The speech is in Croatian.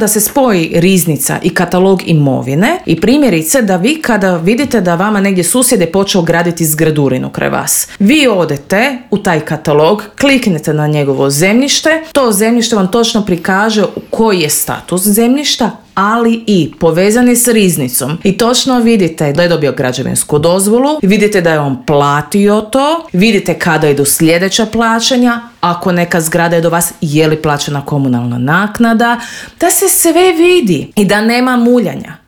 da se spoji riznica i katalog imovine i primjerice da vi kada vidite da vama negdje susjed je počeo graditi zgradurinu kraj vas, vi odete u taj katalog, kliknete na njegovo zemljište, to zemljište vam točno prikaže koji je status zemljišta, ali i povezan je s riznicom i točno vidite da je dobio građevinsku dozvolu, vidite da je on platio to, vidite kada idu sljedeća plaćanja, ako neka zgrada je do vas, je li plaćena komunalna naknada, da se sve vidi i da nema muljanja.